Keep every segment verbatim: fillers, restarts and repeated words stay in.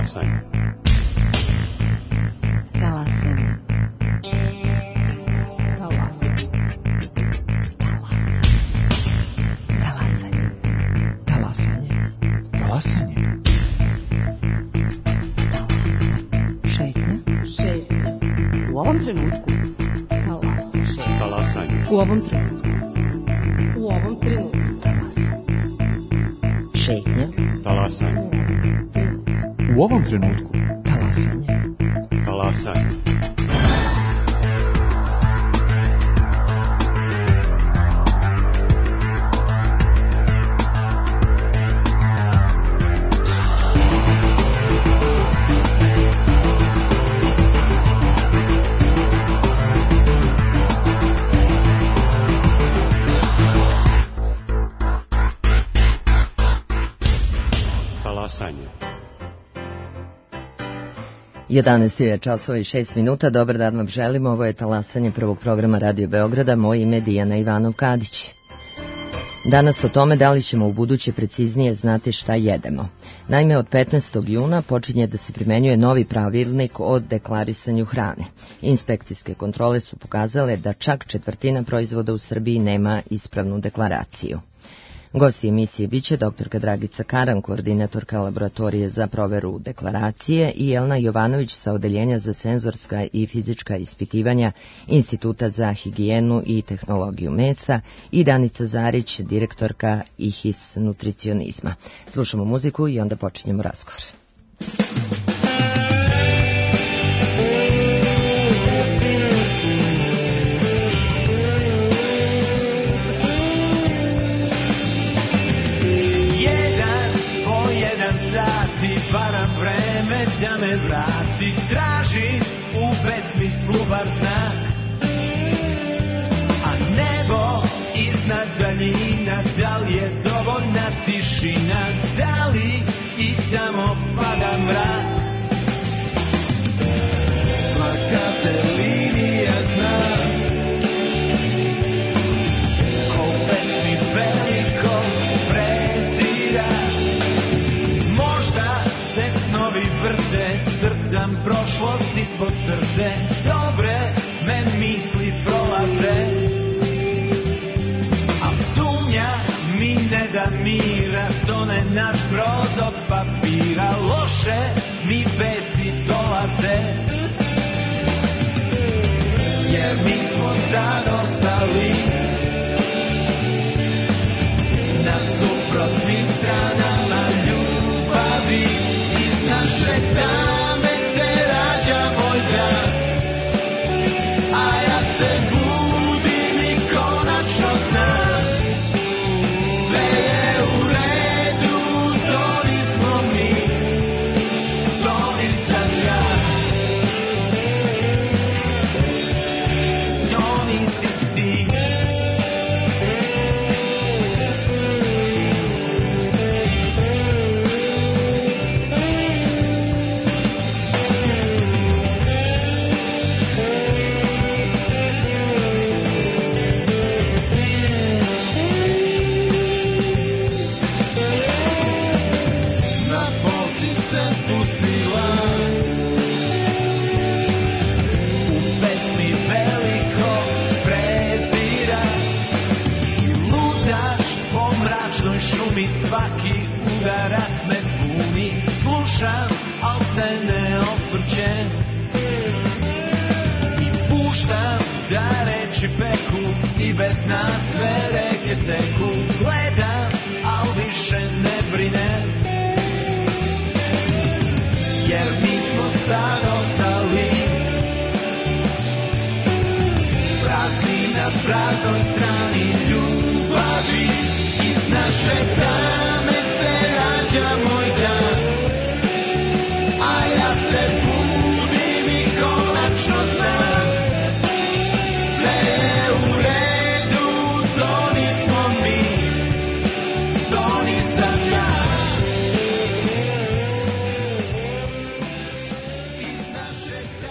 Talasanje. Talasanje. Talasanje. Talasanje. Talasanje. Talasanje. Šetnja. Šetnja. U ovom trenutku. Talasanje. Talasanje. U ovom trenutku. U ovom trenutku. Talasanje. Šetnja. Talasanje. U ovom trenutku. Talasanje. Talasanje. Talasanje. jedanaest je časova i šest minuta. Dobar dan vam želimo. Ovo je Talasanje prvog programa Radio Beograda. Moje ime je Dijana Ivanov-Kadić. Danas o tome da li ćemo u buduće preciznije znati šta jedemo. Naime, od petnaestog juna počinje da se primenjuje novi pravilnik o deklarisanju hrane. Inspekcijske kontrole su pokazale da čak četvrtina proizvoda u Srbiji nema ispravnu deklaraciju. Gosti emisije biće doktorka Dragica Karan, koordinatorka laboratorije za proveru deklaracije, i Jelena Jovanović sa Odeljenja za senzorska i fizička ispitivanja Instituta za higijenu i tehnologiju mesa, i Danica Zarić, direktorka I H I S nutricionizma. Slušamo muziku i onda počinjemo razgovor. Varam vreme da me vrati, tražim u besmislu bar znak, a nebo iznad daljina, da li je dovoljna tišina, da li i tamo pada mrak. Svaka te linija zna, ko u pesmi veliko prezira. Vrte, crtam prošlost ispod crte, dobre me misli prolaze, a sumnja mi ne da mira, tone naš brod od papira, loše mi vesti dolaze, jer mi smo sad ostali na suprotnim stranama ljubavi. Naše tame se rađa moj grad, a ja se budim i konačno znam, sve je u redu, to nismo mi, to nisam ja, to nisi ti. Svaki udarac me zbuni, slušam, al se ne osvrćem i puštam da reči peku i bez nas sve reke teku. Gledam, al više ne brinem, jer mi smo sad ostali prazni na praznoj strani ljubavi. Iz naše tame se rađa moj dan, a ja se budim i konačno znam, sve je u redu, to nismo mi,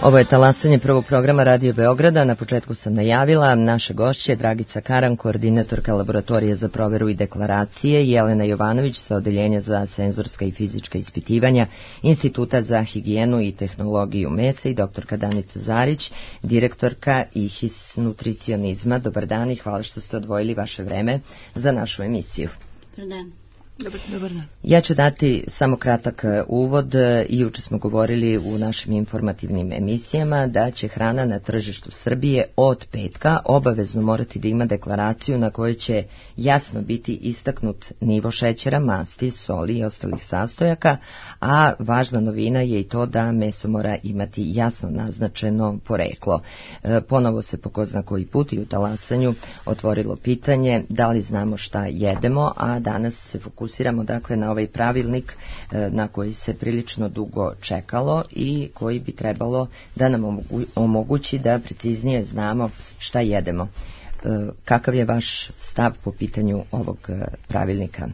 Ovo je talasanje prvog programa Radio Beograda. Na početku sam najavila naše gošće Dragica Karan, koordinatorka laboratorije za proveru i deklaracije, Jelena Jovanović sa Odeljenja za senzorska i fizička ispitivanja Instituta za higijenu i tehnologiju mesa i doktorka Danica Zarić, direktorka I H I S nutricionizma. Dobar dan i hvala što ste odvojili vaše vreme za našu emisiju. Dobar dan. Dobar, dobar dan. Ja ću dati samo kratak uvod. I juče smo govorili u našim informativnim emisijama da će hrana na tržištu Srbije od petka obavezno morati da ima deklaraciju na kojoj će jasno biti istaknut nivo šećera, masti, soli i ostalih sastojaka, a važna novina je i to da meso mora imati jasno naznačeno poreklo. E, ponovo se po ko zna koji put i u talasanju otvorilo pitanje da li znamo šta jedemo, a danas se fokusiramo Fokusiramo dakle na ovaj pravilnik e, na koji se prilično dugo čekalo i koji bi trebalo da nam omogu, omogući da preciznije znamo šta jedemo. E, kakav je vaš stav po pitanju ovog e, pravilnika?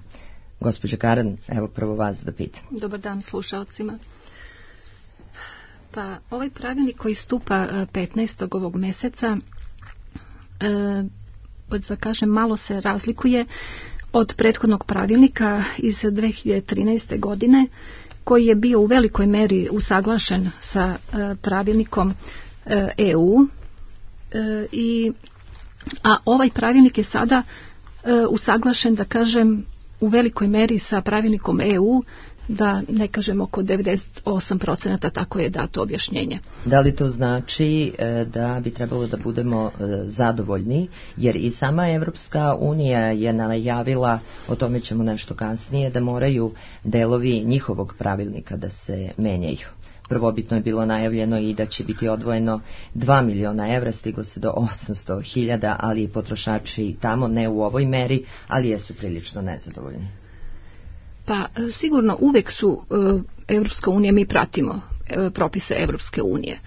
Gospođa Karan, evo prvo vas da pitam. Dobar dan slušalcima. Pa ovaj pravilnik koji stupa petnaestog ovog meseca, e, da kažem, malo se razlikuje od prethodnog pravilnika iz dve hiljade trinaeste. godine, koji je bio u velikoj meri usaglašen sa e, pravilnikom e, E U, e, i, a ovaj pravilnik je sada e, usaglašen, da kažem, u velikoj meri sa pravilnikom E U, da ne kažem oko devedeset osam procenata, tako je dato objašnjenje. Da li to znači e, da bi trebalo da budemo e, zadovoljni, jer i sama Evropska unija je najavila, o tome ćemo nešto kasnije, da moraju delovi njihovog pravilnika da se menjaju. Prvobitno je bilo najavljeno i da će biti odvojeno dva miliona evra, stiglo se do osamsto hiljada, ali i potrošači tamo, ne u ovoj meri, ali jesu prilično nezadovoljni. Pa sigurno uvek su Evropska unija, mi pratimo propise Evropske unije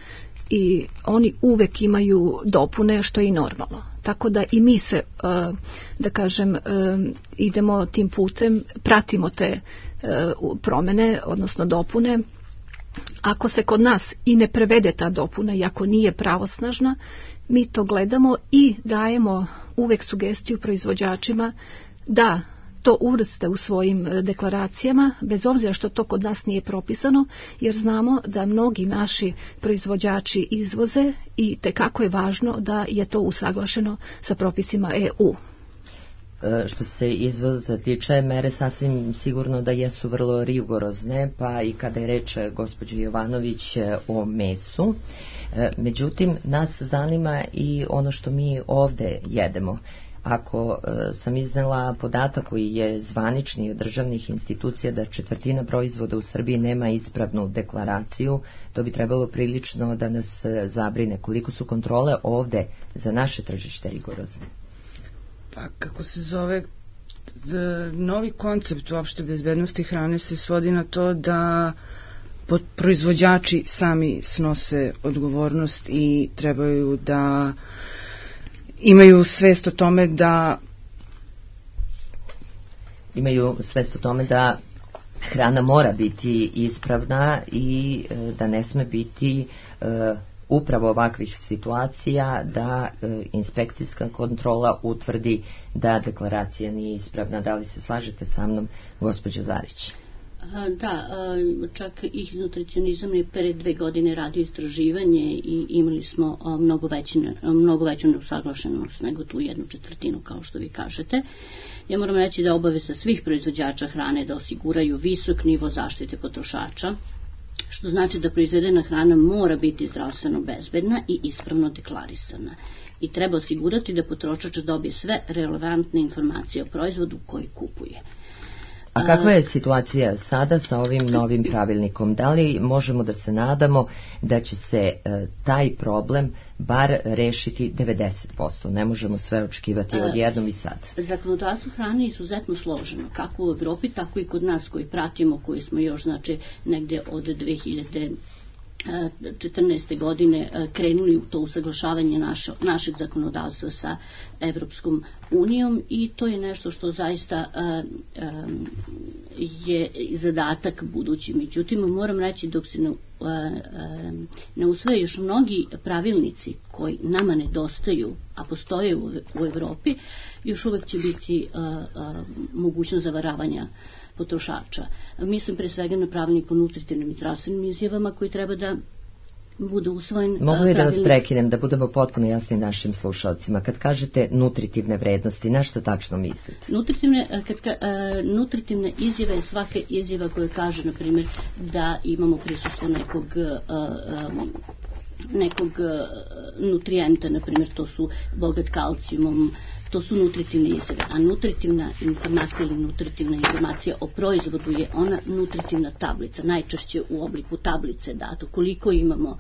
i oni uvek imaju dopune, što je i normalno. Tako da i mi se, da kažem, idemo tim putem, pratimo te promene, odnosno dopune. Ako se kod nas i ne prevede ta dopuna i ako nije pravosnažna, mi to gledamo i dajemo uvek sugestiju proizvođačima da to uvrste u svojim deklaracijama, bez obzira što to kod nas nije propisano, jer znamo da mnogi naši proizvođači izvoze i tekako je važno da je to usaglašeno sa propisima E U. E, što se izvoza tiče, mere sasvim sigurno da jesu vrlo rigorozne, pa i kada je reč gospođe Jovanović o mesu. E, međutim, nas zanima i ono što mi ovde jedemo. Ako e, sam iznela podatak koji je zvanični od državnih institucija da četvrtina proizvoda u Srbiji nema ispravnu deklaraciju, to bi trebalo prilično da nas zabrine. Koliko su kontrole ovde za naše tržište rigorozne? Pa kako se zove, novi koncept uopšte bezbednosti hrane se svodi na to da proizvođači sami snose odgovornost i trebaju da imaju svest o tome da imaju svest o tome da hrana mora biti ispravna i e, da ne sme biti e, upravo ovakvih situacija da e, inspekcijska kontrola utvrdi da deklaracija nije ispravna. Da li se slažete sa mnom, gospođo Zarić? Da, čak I H I S nutricionizam je pre dve godine radio istraživanje i imali smo mnogo, veći, mnogo veću neusaglašenost nego tu jednu četvrtinu, kao što vi kažete. Ja moram reći da obaveza svih proizvođača hrane da osiguraju visok nivo zaštite potrošača, što znači da proizvedena hrana mora biti zdravstveno bezbedna i ispravno deklarisana. I treba osigurati da potrošač dobije sve relevantne informacije o proizvodu koji kupuje. A kakva je situacija sada sa ovim novim pravilnikom? Da li možemo da se nadamo da će se e, taj problem bar rešiti devedeset posto? Ne možemo sve očekivati odjednom i sad. Zakonodavstvo hrane je izuzetno složeno, kako u Evropi, tako i kod nas koji pratimo, koji smo još, znači, negde od dve hiljade četrnaeste. godine krenuli u to usaglašavanje naše, našeg zakonodavstva sa Evropskom unijom i to je nešto što zaista je zadatak budući. Međutim, moram reći dok se ne, ne usvoje još mnogi pravilnici koji nama nedostaju, a postoje u, u Evropi, još uvek će biti mogućnost zavaravanja potrošača. Mislim pre svega na pravilnik o nutritivnim i zdravstvenim izjavama koji treba da bude usvojen. Mogu li da vas prekinem, da budemo potpuno jasni našim slušalcima? Kad kažete nutritivne vrednosti, na što tačno mislite? Nutritivne, kad, uh, nutritivne izjave je svaka izjava koja kaže, na primjer, da imamo prisustvo nekog uh, um, nekog uh, nutrijenta, na primjer, to su bogat kalcijumom, to su nutritivne izjave, a nutritivna informacija ili nutritivna informacija o proizvodu je ona nutritivna tablica, najčešće u obliku tablice dato, koliko imamo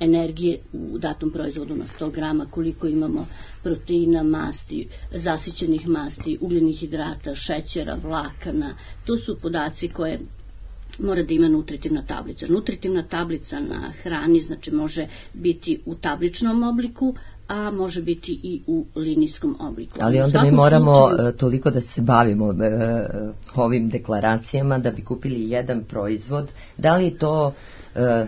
energije u datom proizvodu na sto grama, koliko imamo proteina, masti, zasićenih masti, ugljenih hidrata, šećera, vlakana, to su podaci koje mora da ima nutritivna tablica. Nutritivna tablica na hrani znači može biti u tabličnom obliku, a može biti i u linijskom obliku. Ali onda mi moramo slučaju toliko da se bavimo e, ovim deklaracijama da bi kupili jedan proizvod. Da li to e,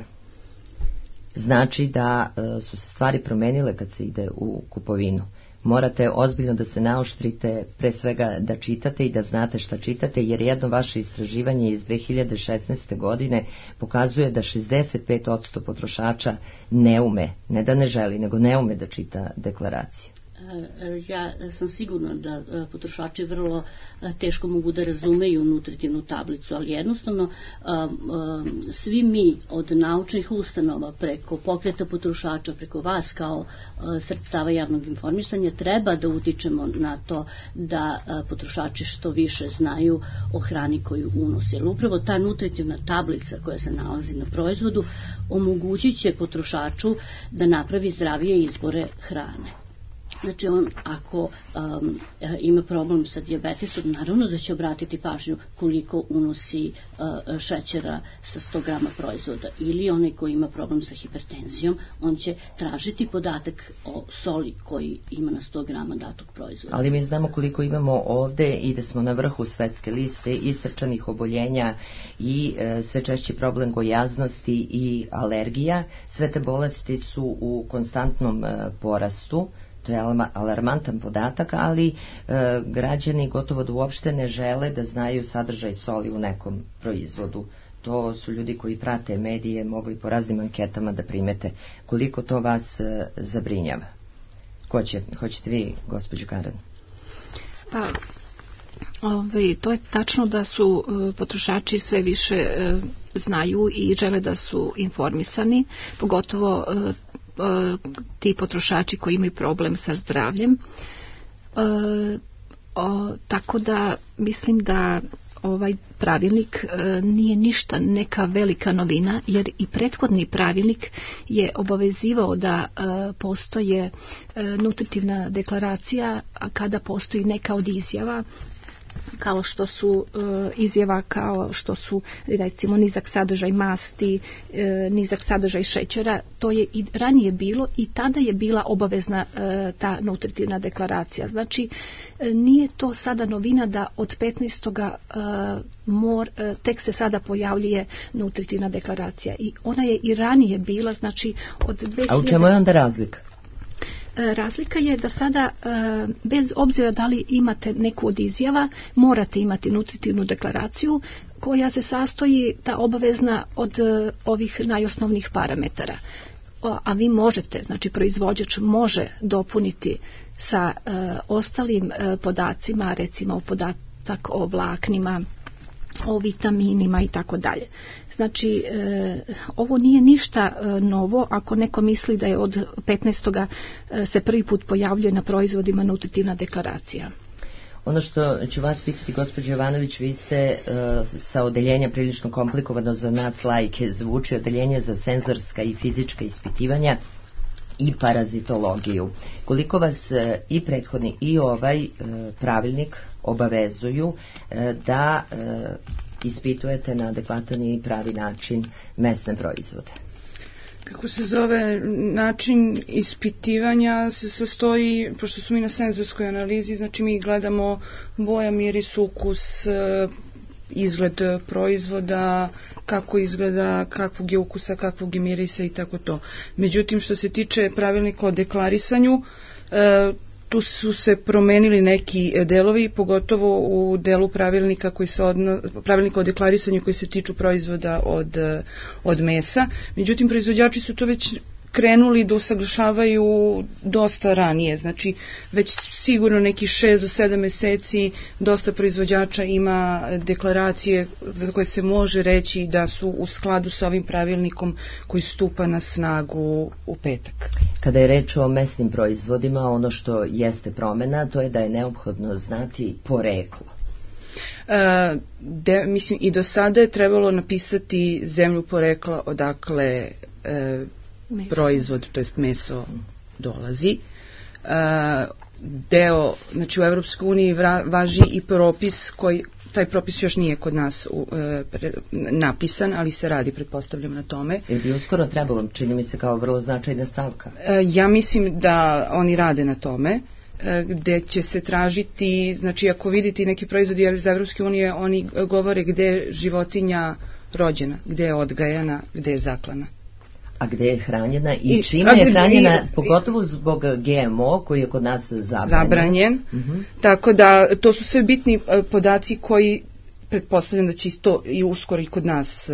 znači da e, su se stvari promenile kad se ide u kupovinu? Morate ozbiljno da se naoštrite, pre svega da čitate i da znate šta čitate, jer jedno vaše istraživanje iz dve hiljade šesnaeste. godine pokazuje da šezdeset pet posto potrošača ne ume, ne da ne želi, nego ne ume da čita deklaraciju. Ja sam sigurna da potrošači vrlo teško mogu da razumeju nutritivnu tablicu, ali jednostavno svi mi od naučnih ustanova preko pokreta potrošača, preko vas kao sredstava javnog informisanja treba da utičemo na to da potrošači što više znaju o hrani koju unose. Jer upravo ta nutritivna tablica koja se nalazi na proizvodu omogućit će potrošaču da napravi zdravije izbore hrane. Znači on ako um, ima problem sa dijabetesom, naravno da će obratiti pažnju koliko unosi uh, šećera sa sto grama proizvoda, ili onaj koji ima problem sa hipertenzijom, on će tražiti podatak o soli koji ima na sto grama datog proizvoda. Ali mi znamo koliko imamo ovde i da smo na vrhu svetske liste i srčanih oboljenja i e, sve češći problem gojaznosti i alergija. Sve te bolesti su u konstantnom e, porastu. To je alarmantan podatak, ali e, građani gotovo da uopšte ne žele da znaju sadržaj soli u nekom proizvodu. To su ljudi koji prate medije, mogli po raznim anketama da primete. Koliko to vas e, zabrinjava? Ko će? Hoćete vi, gospođo Karen? Pa, ovaj, to je tačno da su e, potrošači sve više e, znaju i žele da su informisani, pogotovo e, ti potrošači koji imaju problem sa zdravljem. E, o, tako da mislim da ovaj pravilnik e, nije ništa neka velika novina, jer i prethodni pravilnik je obavezivao da e, postoje e, nutritivna deklaracija, a kada postoji neka od izjava kao što su e, izjava kao što su recimo nizak sadržaj masti, e, nizak sadržaj šećera, to je i ranije bilo i tada je bila obavezna e, ta nutritivna deklaracija. Znači e, nije to sada novina da od petnaestog E, mor, e, tek se sada pojavljuje nutritivna deklaracija i ona je i ranije bila, znači od dve hiljade... A u čemu je onda razlika? Razlika je da sada, bez obzira da li imate neku od izjava, morate imati nutritivnu deklaraciju koja se sastoji, ta obavezna, od ovih najosnovnijih parametara. A vi možete, znači proizvođač može dopuniti sa ostalim podacima, recimo podatak o vlaknima, o vitaminima i tako dalje. Znači, e, ovo nije ništa e, novo ako neko misli da je od petnaestog E, se prvi put pojavljuje na proizvodima nutritivna deklaracija. Ono što ću vas pitati, gospođo Jovanović, vi ste e, sa odeljenja prilično komplikovano za nas laike zvuči odeljenje za senzorska i fizička ispitivanja i parazitologiju. Koliko vas e, i prethodni i ovaj e, pravilnik obavezuju e, da e, ispitujete na adekvatan i pravi način mesne proizvode? kako se zove, način ispitivanja se sastoji, pošto smo mi na senzorskoj analizi, znači mi gledamo boja, miris, ukus, izgled proizvoda, kako izgleda, kakvog je ukusa, kakvog je mirisa i tako to. Međutim, što se tiče pravilnika o deklarisanju, tu su se promenili neki delovi, pogotovo u delu pravilnika koji se odno, pravilnika o deklarisanju koji se tiču proizvoda od, od mesa. Međutim, proizvođači su to već krenuli da usaglašavaju dosta ranije, znači već sigurno neki šest do sedam meseci dosta proizvođača ima deklaracije za koje se može reći da su u skladu sa ovim pravilnikom koji stupa na snagu u petak. Kada je reč o mesnim proizvodima, ono što jeste promena, to je da je neophodno znati poreklo. E, de, mislim, i do sada je trebalo napisati zemlju porekla odakle e, Meso. proizvod, to jest meso dolazi. Uh, deo, znači u Evropskoj uniji vra, važi i propis koji, taj propis još nije kod nas uh, pre, napisan, ali se radi, pretpostavljam, na tome. Je bi uskoro trebalo, čini mi se kao vrlo značajna stavka. Uh, ja mislim da oni rade na tome, uh, gde će se tražiti, znači ako vidite neki proizvodi iz Evropske unije, oni govore gde je životinja rođena, gde je odgajana, gde je zaklana. A gde je hranjena i čime je hranjena, pogotovo zbog G M O koji je kod nas zabranjen. Zabranjen. Uh-huh. Tako da to su sve bitni podaci koji pretpostavljam da će isto i uskoro i kod nas,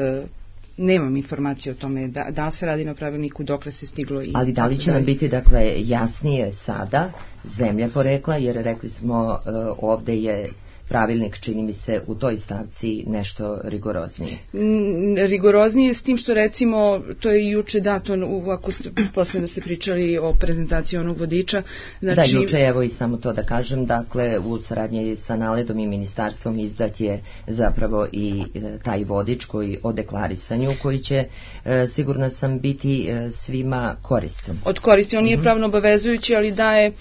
nemam informacije o tome da, da se radi na pravilniku, dokle se stiglo. I ali da li će nam biti dakle jasnije sada zemlja porekla, jer rekli smo ovde je pravilnik, čini mi se, u toj stavci nešto rigoroznije. Mm, rigoroznije s tim što recimo, to je juče dato, ako ste posle da ste pričali o prezentaciji onog vodiča. Znači... Da, juče, evo i samo to da kažem, dakle, u saradnji sa Naledom i ministarstvom izdat je zapravo i taj vodič koji o deklarisanju, koji će, e, sigurna sam, biti e, svima koristan. Od koristi, on nije mm-hmm. pravno obavezujući, ali daje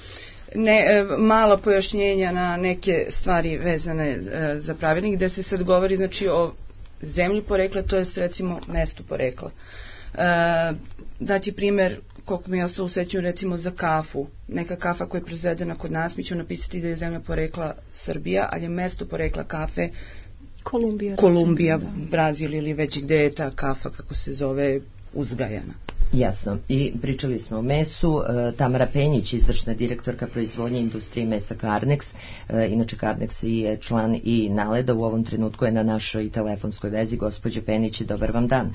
ne, mala pojašnjenja na neke stvari vezane e, za pravilnik, gde se sad govori znači o zemlji porekla, to jest recimo mestu porekla. E, dati primjer, koliko mi je ostalo u sećanju, recimo za kafu. Neka kafa koja je proizvedena kod nas, mi ćemo napisati da je zemlja porekla Srbija, ali je mesto porekla kafe Kolumbija, Kolumbija recimo, da. Brazil ili već gde je ta kafa, kako se zove, uzgajana. Jasno. I pričali smo o mesu. Tamara Penjić, izvršna direktorka proizvodnje industrije mesa Karnex. Inače Karnex je član i Naleda. U ovom trenutku je na našoj telefonskoj vezi. Gospođo Penjić, dobar vam dan.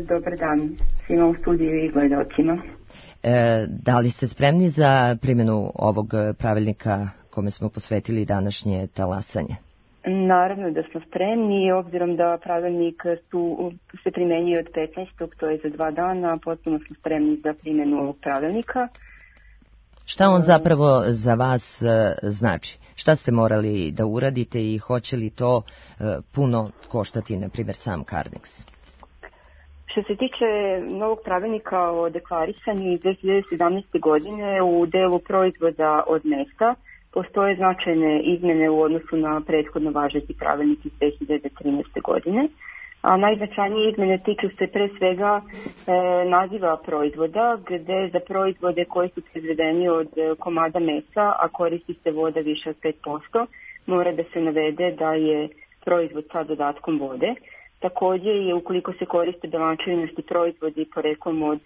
Dobar dan svima u studiju i gledalcima. Da li ste spremni za primjenu ovog pravilnika kome smo posvetili današnje talasanje? Naravno da smo spremni, obzirom da pravilnik su, se primenjuje od petnaestog to je za dva dana, potpuno smo spremni za primjenu ovog pravilnika. Šta on zapravo za vas znači? Šta ste morali da uradite i hoće li to puno koštati, na primjer, sam Karnex? Što se tiče novog pravilnika o deklarisanju iz dve hiljade sedamnaeste. godine u delu proizvoda od mesa, postoje značajne izmjene u odnosu na prethodno važeći pravilnik iz dve hiljade trinaeste. godine, a najznačajnije izmjene tiču se pre svega e, naziva proizvoda, gde za proizvode koji su proizvedeni od komada mesa, a koristi se voda više od pet posto, mora da se navede da je proizvod sa dodatkom vode. Također je ukoliko se koriste belančevnosti proizvodi poreklom od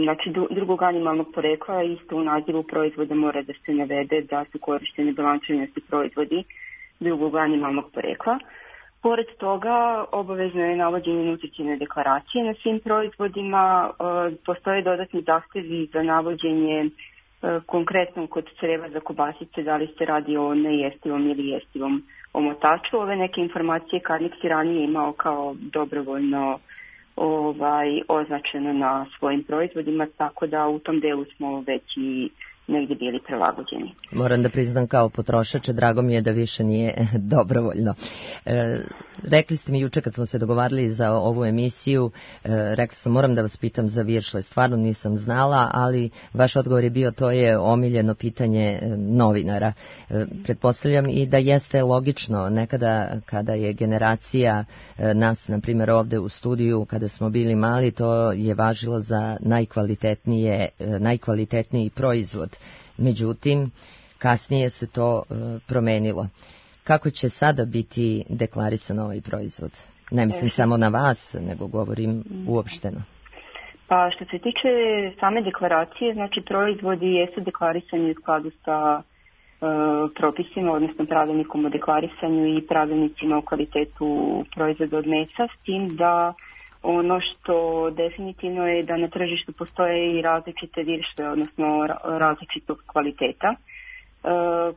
znači drugog animalnog porekla, isto u nazivu proizvoda mora da se navede da su korištene belančevnosti proizvodi drugog animalnog porekla. Pored toga, obavezno je navođenje nutritivne deklaracije na svim proizvodima, postoje dodatni zahtevi za navođenje konkretno kod creva za kobasice, da li se radi o nejestivom ili jestivom omotaču. Ove neke informacije Karnex je ranije imao kao dobrovoljno ovaj, označeno na svojim proizvodima, tako da u tom delu smo već i negdje bili prilagođeni. Moram da priznam kao potrošač, drago mi je da više nije dobrovoljno. E, rekli ste mi juče kad smo se dogovarali za ovu emisiju, e, rekli sam moram da vas pitam za viršle, stvarno nisam znala, ali vaš odgovor je bio to je omiljeno pitanje novinara. E, pretpostavljam i da jeste logično, nekada kada je generacija e, nas, na primjer ovde u studiju, kada smo bili mali, to je važilo za najkvalitetnije, e, najkvalitetniji proizvod. Međutim, kasnije se to e, promenilo. Kako će sada biti deklarisan ovaj proizvod? Ne mislim samo na vas, nego govorim uopšteno. Pa što se tiče same deklaracije, znači proizvodi jesu deklarisani u skladu sa e, propisima, odnosno pravilnikom o deklarisanju i pravilnicima o kvalitetu proizvoda od mesa, s tim da ono što definitivno je da na tržištu postoje i različite viršle, odnosno različitog kvaliteta. E,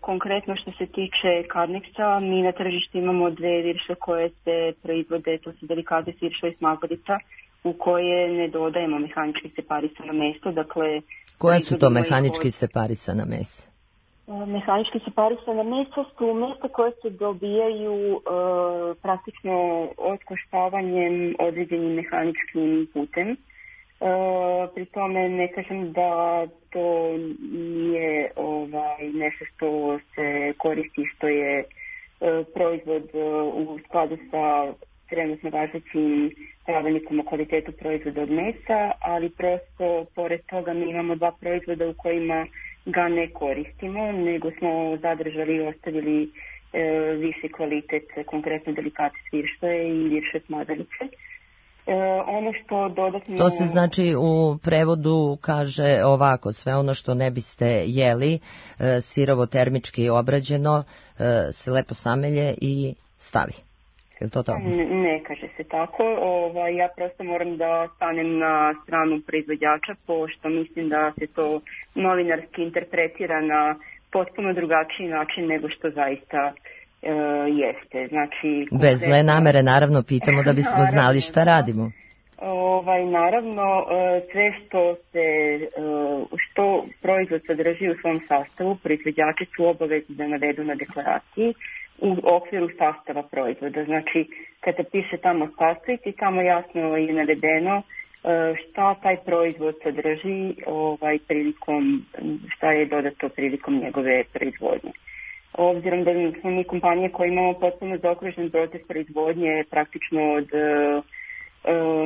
konkretno što se tiče Carnexa, mi na tržištu imamo dve viršle koje se proizvode, to su delikates viršle i smagodica, u koje ne dodajemo mehanički separisano meso. Dakle, koje su to mehanički separisana mesa? Mehanički separisana mesa su mesa koje se dobijaju e, praktično otkoštavanjem određenim mehaničkim putem. E, pri tome ne kažem da to nije ovaj, nešto što se koristi, što je e, proizvod e, u skladu sa trenutno važećim pravilnikom o kvalitetu proizvoda od mesa, ali prosto pored toga mi imamo dva proizvoda u kojima ga ne koristimo, nego smo zadržali i ostavili e, viši kvalitet, konkretno delikates viršle i viršle smagodice. E, ono što dodatno... To se znači u prevodu kaže ovako, sve ono što ne biste jeli, e, sirovo termički obrađeno, e, se lepo samelje i stavi. Je to to? Ne, ne kaže se tako. Ova, ja prosto moram da stanem na stranu proizvođača, pošto mislim da se to novinarski interpretira na potpuno drugačiji način nego što zaista e, jeste. Znači, konkretno... Bez zle namere, naravno, pitamo da bismo naravno, znali šta radimo. Ovaj, naravno, sve što se, što proizvod sadrži u svom sastavu, proizvođači su obavezni da navedu na deklaraciji u okviru sastava proizvoda. Znači, kada piše tamo sastojci, tamo jasno je navedeno šta taj proizvod sadrži, ovaj, prilikom, šta je dodato prilikom njegove proizvodnje. Obzirom da smo mi kompanije koje imamo potpuno zaokružen proces proizvodnje, praktično od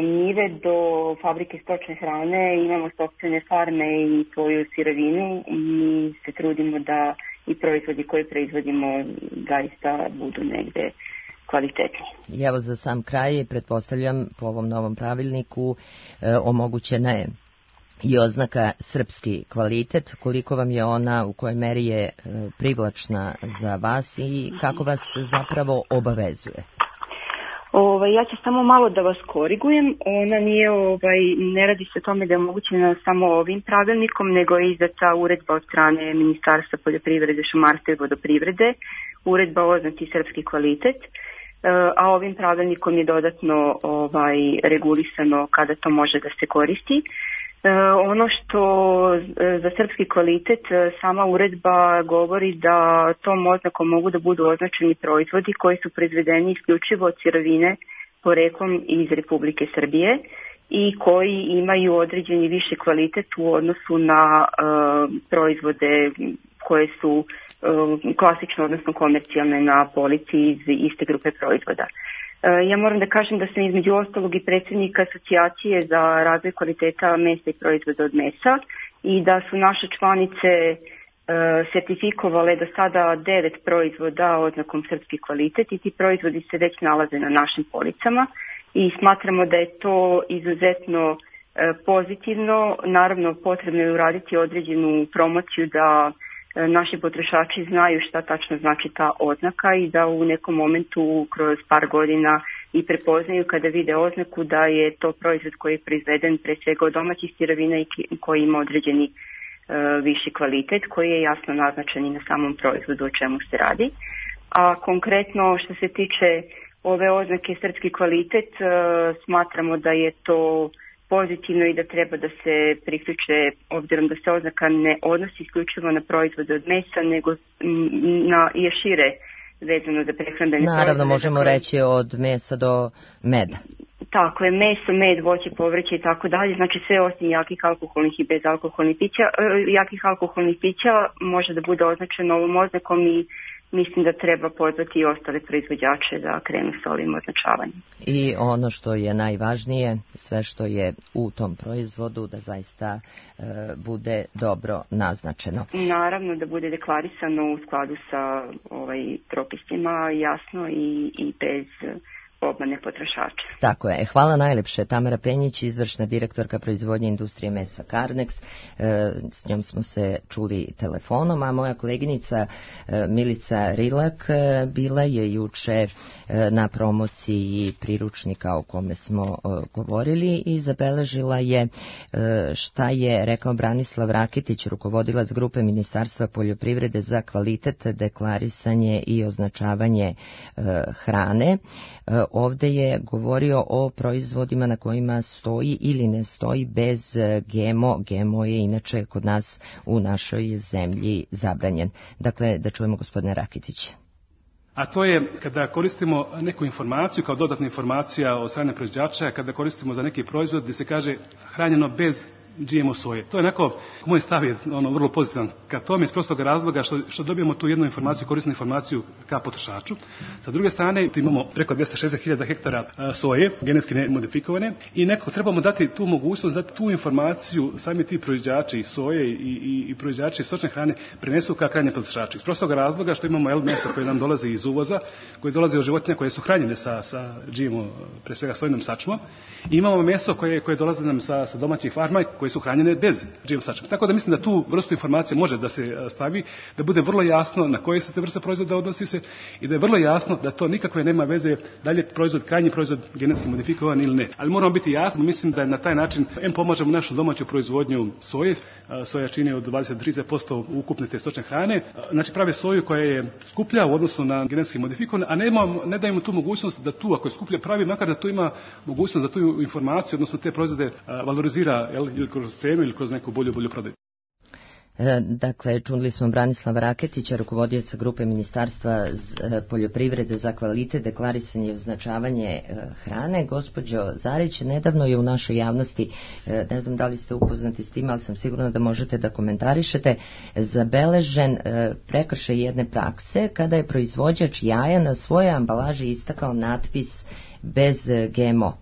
njive do fabrike stočne hrane, imamo sopstvene farme i svoju sirovinu i se trudimo da i proizvodi koje proizvodimo zaista budu negde kvalitetni. I evo za sam kraj, pretpostavljam po ovom novom pravilniku e, omogućena je i oznaka srpski kvalitet. Koliko vam je ona, u kojoj meri je e, privlačna za vas i kako vas zapravo obavezuje? Ovaj, ja ću samo malo da vas korigujem. Ona nije, ovaj, ne radi se o tome da je omogućena samo ovim pravilnikom, nego je izdata uredba od strane Ministarstva poljoprivrede, šumarstva i vodoprivrede, uredba o oznaci srpski kvalitet, a ovim pravilnikom je dodatno ovaj, regulisano kada to može da se koristi. Ono što za srpski kvalitet sama uredba govori da tom oznakom mogu da budu označeni proizvodi koji su proizvedeni isključivo od sirovine poreklom iz Republike Srbije i koji imaju određeni viši kvalitet u odnosu na uh, proizvode koje su uh, klasično, odnosno komercijalne na polici iz iste grupe proizvoda. Ja moram da kažem da sam između ostalog i predsjednik Asocijacije za razvoj kvaliteta mesa i proizvoda od mesa i da su naše članice e, sertifikovale do sada devet proizvoda oznakom srpski kvalitet i ti proizvodi se već nalaze na našim policama i smatramo da je to izuzetno e, pozitivno. Naravno, potrebno je uraditi određenu promociju da naši potrošači znaju šta tačno znači ta oznaka i da u nekom momentu kroz par godina i prepoznaju kada vide oznaku da je to proizvod koji je proizveden pre svega od domaćih sirovina i koji ima određeni uh, viši kvalitet koji je jasno naznačen i na samom proizvodu o čemu se radi. A konkretno što se tiče ove oznake srpski kvalitet, uh, smatramo da je to pozitivno i da treba da se priključe, obzirom da se oznaka ne odnosi isključivo na proizvode od mesa, nego na i šire vezano za prehrambene proizvode. Naravno, možemo dakle, reći od mesa do meda. Tako je, meso, med, voće, povrće i tako dalje, znači sve osim jakih alkoholnih i bezalkoholnih pića. Jakih alkoholnih pića može da bude označeno ovom oznakom i mislim da treba pozvati i ostale proizvođače da krenu sa ovim označavanjem. I ono što je najvažnije, sve što je u tom proizvodu da zaista e, bude dobro naznačeno. Naravno da bude deklarisano u skladu sa ovaj, propisima, jasno i, i bez obmane potrošača. Tako je. Hvala najlepše. Tamara Penjić, izvršna direktorka proizvodnje industrije mesa Carnex. E, s njom smo se čuli telefonom, a moja koleginica e, Milica Rilak e, bila je juče e, na promociji priručnika o kome smo e, govorili i zabeležila je e, šta je rekao Branislav Rakitić, rukovodilac grupe Ministarstva poljoprivrede za kvalitet, deklarisanje i označavanje e, hrane. E, Ovde je govorio o proizvodima na kojima stoji ili ne stoji bez G M O. G M O je inače kod nas u našoj zemlji zabranjen. Dakle, da čujemo gospodine Rakitića. A to je kada koristimo neku informaciju kao dodatna informacija od strane proizvođača, kada koristimo za neki proizvod gdje se kaže hranjeno bez G M O soje. To je onako, moj stav je ono vrlo pozitivan ka tome iz prostog razloga što, što dobijemo tu jednu informaciju, korisnu informaciju ka potrošaču. Sa druge strane imamo preko dvjesto šezdeset hiljada hektara soje, genetski modifikovane i nekako trebamo dati tu mogućnost, dati tu informaciju sami ti proizvođači i soje i, i, i proizvođači stočne hrane prenesu ka krajnjem potrošaču. Iz prostog razloga što imamo el meso koje nam dolazi iz uvoza, koje dolazi od životinja koje su hranjene sa, sa G M O, pre svega sojnom sačmom, i imamo meso koje, koje dolazi nam sa, sa domaćih farma koje su hranjene bez G M O sačma. Tako da mislim da tu vrstu informacije može da se stavi, da bude vrlo jasno na koje se te vrste proizvoda odnosi se i da je vrlo jasno da to nikakve nema veze da li je proizvod, krajnji proizvod genetski modifikovan ili ne. Ali moramo biti jasni, mislim da je na taj način em pomožemo našu domaću proizvodnju soje, soja čini od dvadeset do trideset posto ukupne te stočne hrane, znači prave soju koja je skuplja u odnosu na genetski modifikovanu, a ne, imamo, ne dajemo tu mogućnost da tu, ako je skuplja pravi, makar da tu ima mogućnost da tu informaciju, odnosno te proizvode valorizira ili kroz cenu ili kroz neku bolju, bolju prodaju. Dakle, čuli smo Branislava Raketića, rukovodioca grupe Ministarstva poljoprivrede za kvalitet, deklarisanje i označavanje hrane. Gospođo Zarić, nedavno je u našoj javnosti, ne znam da li ste upoznati s tim, ali sam sigurna da možete da komentarišete, zabeležen prekršaj jedne prakse kada je proizvođač jaja na svojoj ambalaži istakao natpis bez G M O.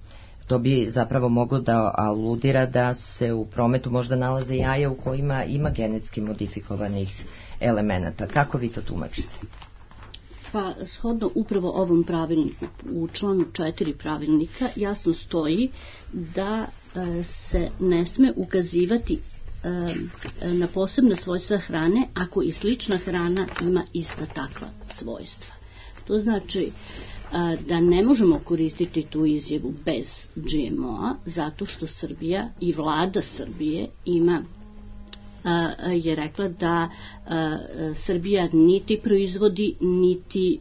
To bi zapravo moglo da aludira da se u prometu možda nalaze jaja u kojima ima genetski modifikovanih elemenata. Kako vi to tumačite? Pa, shodno upravo ovom pravilniku, u članu četiri pravilnika jasno stoji da e, se ne sme ukazivati e, na posebna svojstva hrane ako i slična hrana ima ista takva svojstva. To znači da ne možemo koristiti tu izjavu bez G M O-a zato što Srbija i vlada Srbije ima je rekla da Srbija niti proizvodi niti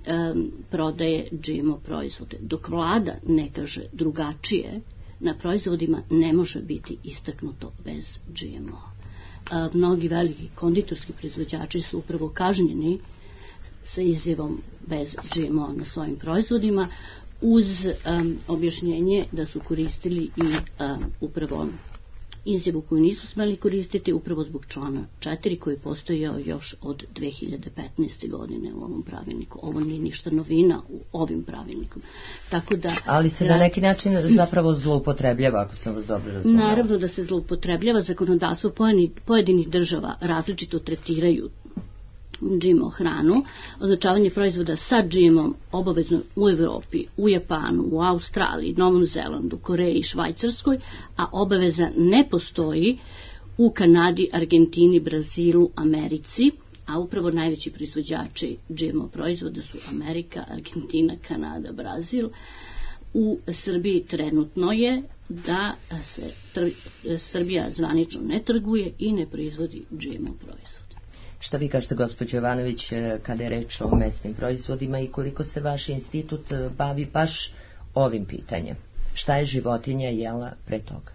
prodaje G M O proizvode. Dok vlada ne kaže drugačije, na proizvodima ne može biti istaknuto bez G M O-a. Mnogi veliki konditorski proizvođači su upravo kažnjeni sa izjavom bez G M O na svojim proizvodima uz um, objašnjenje da su koristili i um, upravo izjavu koju nisu smeli koristiti upravo zbog člana četiri koji je postojao još od dve hiljade petnaeste. godine u ovom pravilniku. Ovo nije ništa novina u ovim pravilnikom. Tako da, ali se na neki način zapravo zloupotrebljava, ako sam vas dobro razumela. Naravno da se zloupotrebljava, zakonodavstvo pojedinih država različito tretiraju G M O hranu, označavanje proizvoda sa G M O obavezno u Evropi, u Japanu, u Australiji, Novom Zelandu, Koreji, Švajcarskoj, a obaveza ne postoji u Kanadi, Argentini, Brazilu, Americi, a upravo najveći proizvođači G M O proizvoda su Amerika, Argentina, Kanada, Brazil. U Srbiji trenutno je da se tr- Srbija zvanično ne trguje i ne proizvodi G M O proizvod. Šta vi kažete, gospođo Jovanović, kada je reč o mesnim proizvodima i koliko se vaš institut bavi baš ovim pitanjem? Šta je životinja jela pre toga?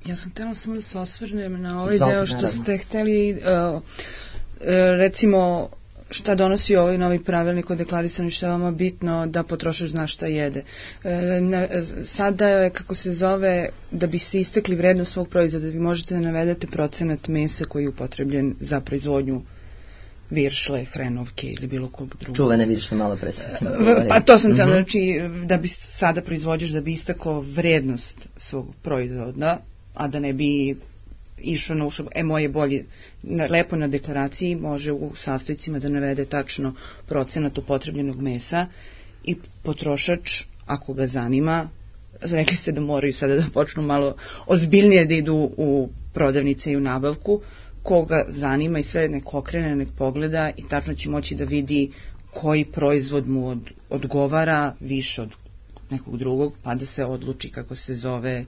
Ja sam htjela samo da se osvrnem na ovaj Izvolite, deo što naravno. ste htjeli, uh, uh, recimo, šta donosi ovaj novi pravilnik o deklarisanju, što je vama bitno da potrošač zna šta jede. E, na, sada je, kako se zove, da bi se istekli vrednost svog proizvoda, vi možete da navedete procenat mesa koji je upotrebljen za proizvodnju viršle, hrenovke ili bilo kog drugog. Čuvene viršle, malo pre sve. Pa to sam htjela, Mhm. znači da bi sada proizvođač, da bi istakao vrednost svog proizvoda, a da ne bi išao na ušao, e moje bolje, na, lepo na deklaraciji može u sastojcima da navede tačno procenat upotrebljenog mesa i potrošač, ako ga zanima, rekli ste da moraju sada da počnu malo ozbiljnije da idu u prodavnice i u nabavku, koga zanima i sve nek okrene, nek pogleda i tačno će moći da vidi koji proizvod mu od, odgovara više od nekog drugog, pa da se odluči, kako se zove,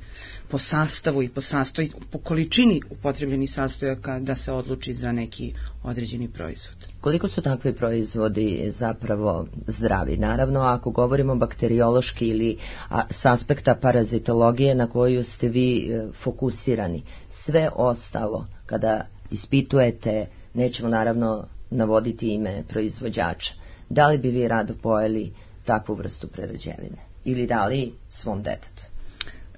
po sastavu i po sastoj, po količini upotrebljenih sastojaka da se odluči za neki određeni proizvod. Koliko su takvi proizvodi zapravo zdravi? Naravno, ako govorimo bakteriološki ili a, s aspekta parazitologije na koju ste vi e, fokusirani, sve ostalo, kada ispitujete, nećemo naravno navoditi ime proizvođača, da li bi vi rado pojeli takvu vrstu prerađevine? Ili dali svom detetu?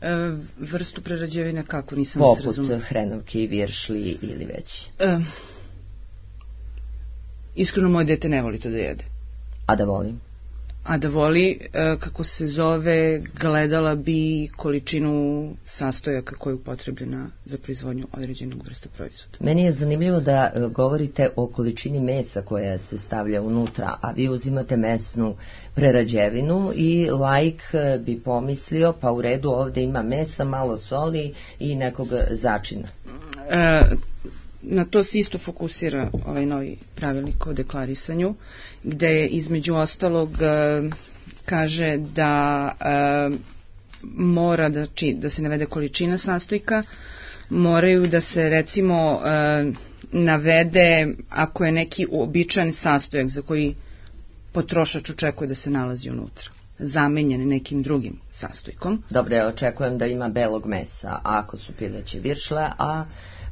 E, vrstu prerađevine kako, nisam se razumela. Poput hrenovke i viršli ili već. E, iskreno, moje dete ne voli to da jede. A da volim? A da voli, e, kako se zove, gledala bi količinu sastojaka koja je upotrebljena za proizvodnju određenog vrsta proizvoda. Meni je zanimljivo da e, govorite o količini mesa koja se stavlja unutra, a vi uzimate mesnu prerađevinu i laik e, bi pomislio, pa u redu, ovdje ima mesa, malo soli i nekog začina. E, na to se isto fokusira ovaj novi pravilnik o deklarisanju, gde je između ostalog e, kaže da e, mora da, či, da se navede količina sastojka, moraju da se recimo e, navede ako je neki uobičajen sastojak za koji potrošač očekuje da se nalazi unutra, zamenjen nekim drugim sastojkom. Dobro, ja očekujem da ima belog mesa, ako su pileće viršle, a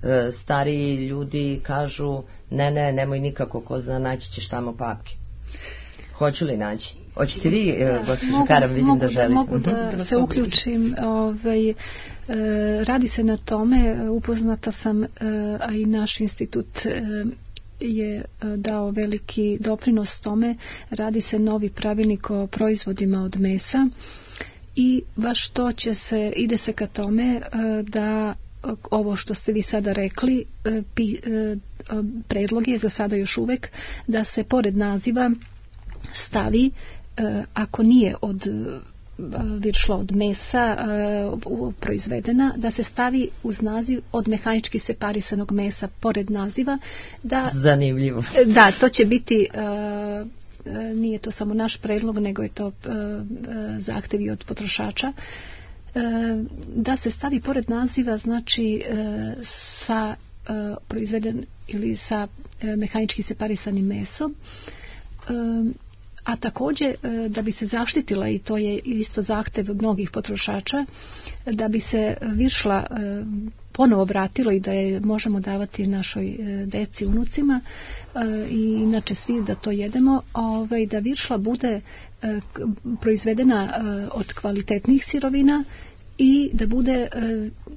e, stariji ljudi kažu ne, ne, nemoj nikako, ko zna, naći ćeš tamo papke. Hoću li naći? Hoćete vi, e, gospođo Karam, vidim mogu da želite. Mogu da, da se uključim. Ovaj, e, radi se na tome, upoznata sam, e, a i naš institut e, je dao veliki doprinos tome. Radi se novi pravilnik o proizvodima od mesa i baš to će se, ide se ka tome da ovo što ste vi sada rekli, predlog je za sada još uvek da se pored naziva stavi, ako nije od viršla od mesa uh, proizvedena, da se stavi uz naziv od mehanički separisanog mesa pored naziva. Da, zanimljivo. Da, to će biti, uh, nije to samo naš predlog, nego je to uh, zahtevi od potrošača, uh, da se stavi pored naziva, znači uh, sa uh, proizveden ili sa uh, mehanički separisanim mesom. Uh, A također da bi se zaštitila, i to je isto zahtev mnogih potrošača, da bi se viršla ponovo vratila i da je možemo davati našoj deci, unucima i inače svi da to jedemo, ovaj, da viršla bude proizvedena od kvalitetnih sirovina i da bude,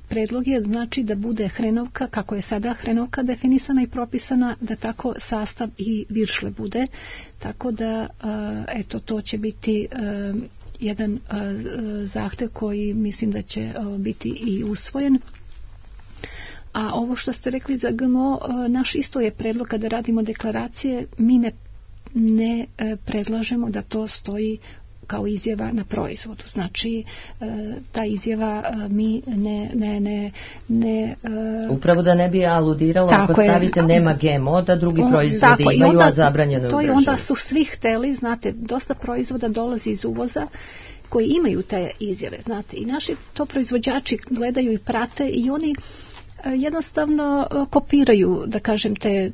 predlog je znači da bude hrenovka, kako je sada hrenovka definisana i propisana, da tako sastav i viršle bude, tako da eto, to će biti jedan zahtev koji mislim da će biti i usvojen. A ovo što ste rekli za G M O, naš isto je predlog kada radimo deklaracije, mi ne, ne predlažemo da to stoji kao izjava na proizvodu. Znači, ta izjava mi ne... ne, ne, ne upravo da ne bi aludiralo ako stavite je, nema G M O, da drugi on, proizvodi tako, imaju, onda, a zabranjeno to je onda su svi hteli, znate, dosta proizvoda dolazi iz uvoza koji imaju te izjave, znate, i naši to proizvođači gledaju i prate i oni jednostavno kopiraju, da kažem, te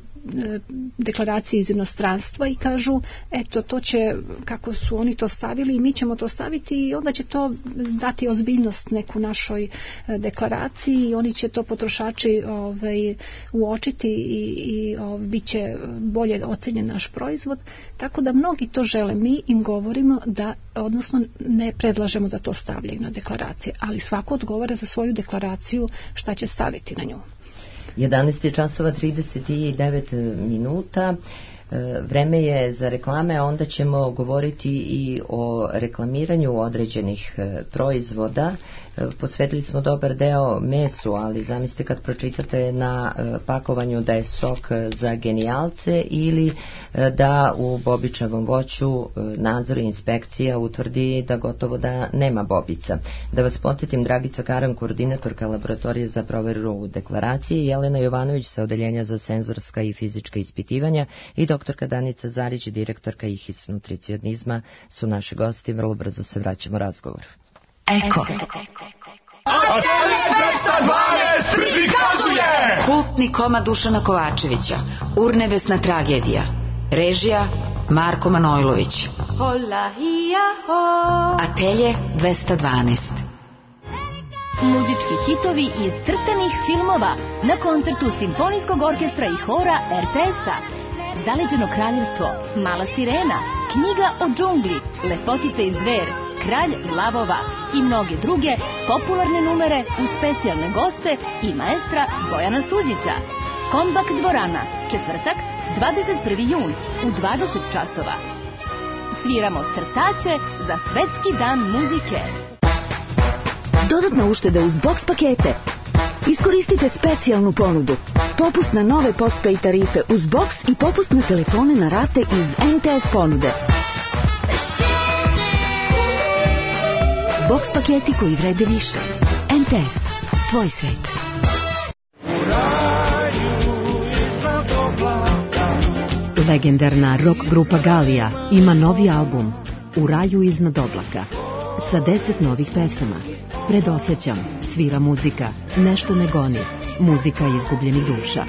deklaracije iz inostranstva i kažu eto to će, kako su oni to stavili i mi ćemo to staviti i onda će to dati ozbiljnost neku našoj deklaraciji i oni će to potrošači ovaj, uočiti i, i ovaj, bit će bolje ocenjen naš proizvod, tako da mnogi to žele. Mi im govorimo da, odnosno ne predlažemo da to stavljaju na deklaracije, ali svako odgovara za svoju deklaraciju šta će staviti na nju. jedanaest je časova trideset devet minuta. Vreme je za reklame, a onda ćemo govoriti i o reklamiranju određenih proizvoda. Posvetili smo dobar deo mesu, ali zamislite kad pročitate na pakovanju da je sok za genijalce ili da u bobičavom voću nadzor i inspekcija utvrdi da gotovo da nema bobica. Da vas podsjetim, Dragica Karan, koordinatorka laboratorije za proveru deklaracije, Jelena Jovanović sa odeljenja za senzorska i fizička ispitivanja i doktorka Danica Zarić, direktorka I H I S nutricionizma su naši gosti. Vrlo brzo se vraćamo razgovor. Eko. Kultni komad Dušana Kovačevića, Urnebesna tragedija. Režija Marko Manojlović. Atelje dvesta dvanaest. Muzički hitovi iz crtanih filmova na koncertu Simfonijskog orkestra i hora R T S-a. Zaleđeno kraljevstvo, Mala sirena, Knjiga o džungli, Lepotica i zver, Kralj lavova i mnoge druge popularne numere uz specijalne goste i maestra Bojana Suđića. Kombak dvorana, četvrtak, dvadeset prvi jun u dvadeset časova. Sviramo crtaće za Svetski dan muzike. Dodatna ušteda uz box pakete. Iskoristite specijalnu ponudu. Popust na nove postpay tarife uz box i popust na telefone na rate iz N T S ponude. Box paketi koji vrede više. N T S. Tvoj svet. Legendarna rock grupa Galija ima novi album U raju iznad oblaka sa deset novih pesama. Predosećam, svira muzika, nešto ne goni, muzika izgubljenih duša.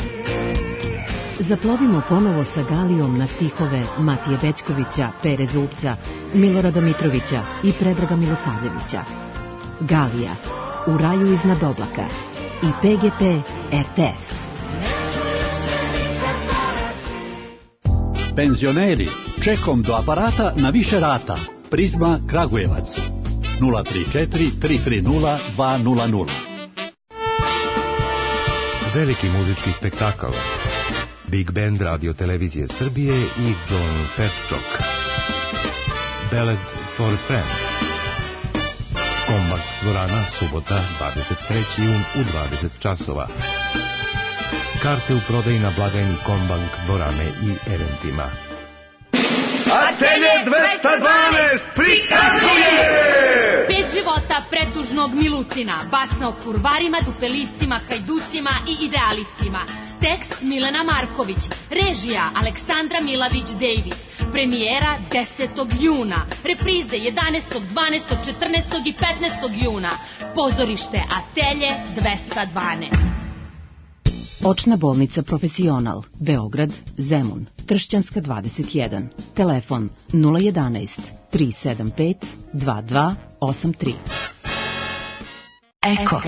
Zaplovimo ponovo sa Galijom na stihove Matije Bećkovića, Pere Zubca, Milorada Mitrovića i Predraga Milosavljevića. Galija, U raju iznad oblaka i P G P R T S. Penzioneri, čekom do aparata na više rata. Prizma Kragujevac. nula tri četiri tri tri nula dva nula nula. Veliki muzički spektakl. Big Band Radio Televizije Srbije i John Petchok. Ballad for a Friend. Kombak dvorana, subota, dvadeset treći jun u dvadeset časova. Karte u prodaji na blagajni Kombank dvorane i eventima. Atelje dvesta dvanaest prikazuje! Pet života pretužnog Milutina, basna o kurvarima, dupelistima, hajducima i idealistima. Tekst Milena Marković, režija Aleksandra Milavić-Davis, premijera desetog juna, reprize jedanaestog, dvanaestog, četrnaestog i petnaestog juna, pozorište Atelje dvesta dvanaest. Očna bolnica Profesional, Beograd, Zemun, Tršćanska dvadeset jedan, telefon nula jedanaest tri sedam pet dva dva osam tri. Eko.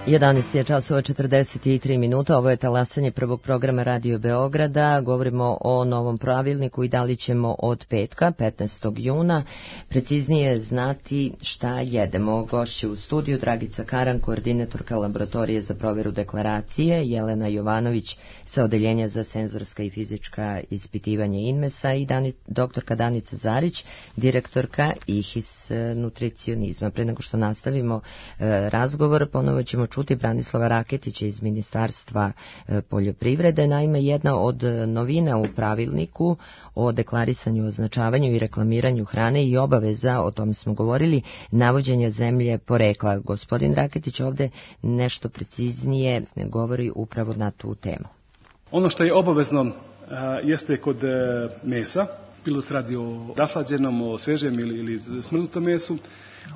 jedanaest je časova četrdeset tri minuta, ovo je talasanje prvog programa Radio Beograda. Govorimo o novom pravilniku i da li ćemo od petka, petnaestog juna, preciznije znati šta jedemo. Gošće u studiju Dragica Karan, koordinatorka laboratorije za proveru deklaracije, Jelena Jovanović sa odeljenja za senzorska i fizička ispitivanja Inmesa i Dani, doktorka Danica Zarić, direktorka I H I S nutricionizma. Pre nego što nastavimo e, razgovor, ponovo ćemo čuti Branislava Raketića iz Ministarstva poljoprivrede. Naime, jedna od novina u pravilniku o deklarisanju, označavanju i reklamiranju hrane i obaveza, o tome smo govorili, navođenja zemlje porekla. Gospodin Raketić ovde nešto preciznije govori upravo na tu temu. Ono što je obavezno jeste kod mesa, bilo se radi o raslađenom, o svežem ili, ili smrznutom mesu,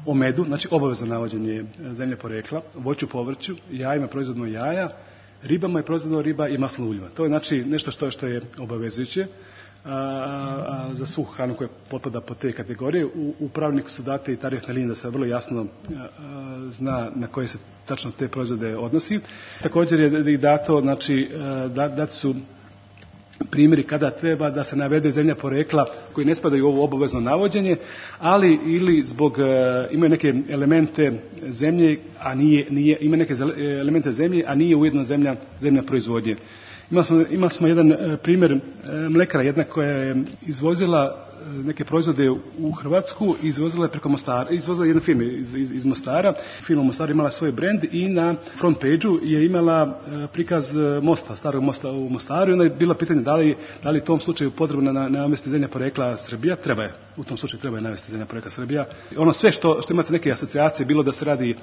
o medu, znači obavezno navođenje zemlje porekla, voću, povrću, jajima, proizvodno jaja, ribama je proizvodno riba i masno uljima. To je znači nešto što, što je obavezujuće a, a, za svu hranu koja potpada po te kategorije. U, u pravilniku su date i tarifne linije da se vrlo jasno a, a, zna na koje se tačno te proizvode odnosi. Također je i dato, znači, da, dati su primjeri kada treba da se navede zemlja porekla koji ne spadaju u ovo obavezno navođenje, ali ili zbog, imaju neke elemente zemlje, a nije, nije, ima neke elemente zemlje, a nije ujedno zemlja, zemlja proizvodnje. Imali smo, imali smo jedan primjer mlekara, jedna koja je izvozila neke proizvode u Hrvatsku, izvozila je preko Mostara, izvozila jedna firma iz, iz, iz Mostara. Firma u Mostaru imala svoj brend i na front page-u je imala prikaz mosta, starog mosta u Mostaru, i onda je bilo pitanje da li, da li u tom slučaju potrebno na, navesti zemlja porekla Srbija. Treba je, u tom slučaju treba je navesti zemlja porekla Srbija. Ono sve što, što imate neke asocijacije, bilo da se radi e,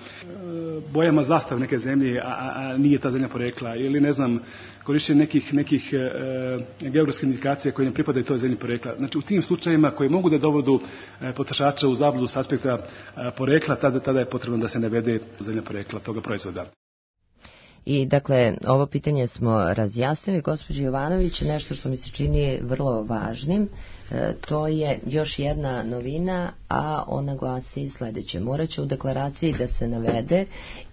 bojama zastave neke zemlje, a, a, a nije ta zemlja porekla, ili ne znam, korištenje nekih, nekih e, geografskih indikacija koje ne pripadaju toj zemlji porekla. Znači u tim slučajevima koji mogu da dovodu e, potrošača u zabludu s aspekta e, porekla, tada, tada je potrebno da se navede zemlja porekla toga proizvoda. I dakle, ovo pitanje smo razjasnili, gospođo Jovanović, nešto što mi se čini vrlo važnim, e, to je još jedna novina, a ona glasi sledeće. Moraće u deklaraciji da se navede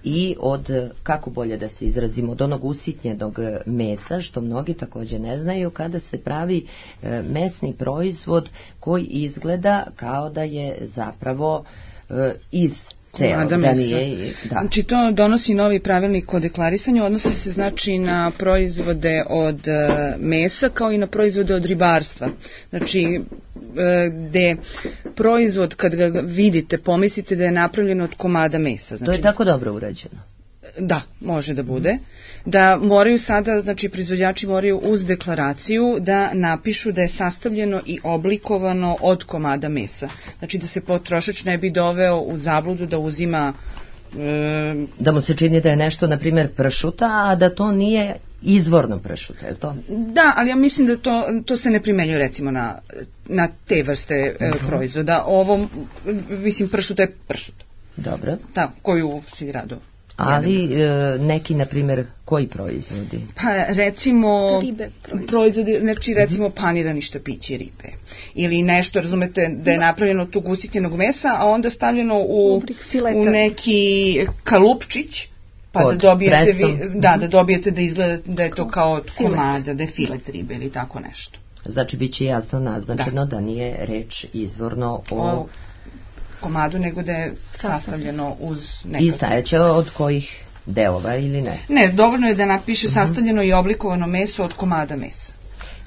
i od, kako bolje da se izrazimo, od onog usitnjenog mesa, što mnogi također ne znaju, kada se pravi e, mesni proizvod koji izgleda kao da je zapravo e, iz komada mesa. Da. Znači to donosi novi pravilnik o deklarisanju, odnosi se znači na proizvode od uh, mesa kao i na proizvode od ribarstva. Znači uh, gde proizvod kad ga vidite pomislite da je napravljen od komada mesa. Znači, to je tako dobro urađeno. Da, može da bude. Da moraju sada, znači proizvođači moraju uz deklaraciju da napišu da je sastavljeno i oblikovano od komada mesa. Znači da se potrošač ne bi doveo u zabludu da uzima... E... Da mu se čini da je nešto, na primjer, pršuta, a da to nije izvorno pršuta, je to? Da, ali ja mislim da to, to se ne primenjuje recimo na, na te vrste e, uh-huh. proizvoda. Ovo, mislim, pršuta je pršuta. Dobro. Da, koju si rado... Ali e, neki, na primjer, koji proizvodi? Pa recimo ribe proizvodi. proizvodi, znači recimo panirani štapići ribe. Ili nešto, razumete, da je napravljeno od tog usitnjenog mesa, a onda stavljeno u, u neki kalupčić, pa pod da dobijete, vi, da, da dobijete da izgleda da je to kao od komada, da je filet ribe ili tako nešto. Znači, bit će jasno naznačeno da, da nije reč izvorno o... o komadu, nego da je sastavljeno uz nekako. I stajeće od kojih delova ili ne? Ne, dovoljno je da napiše sastavljeno i oblikovano meso od komada mesa.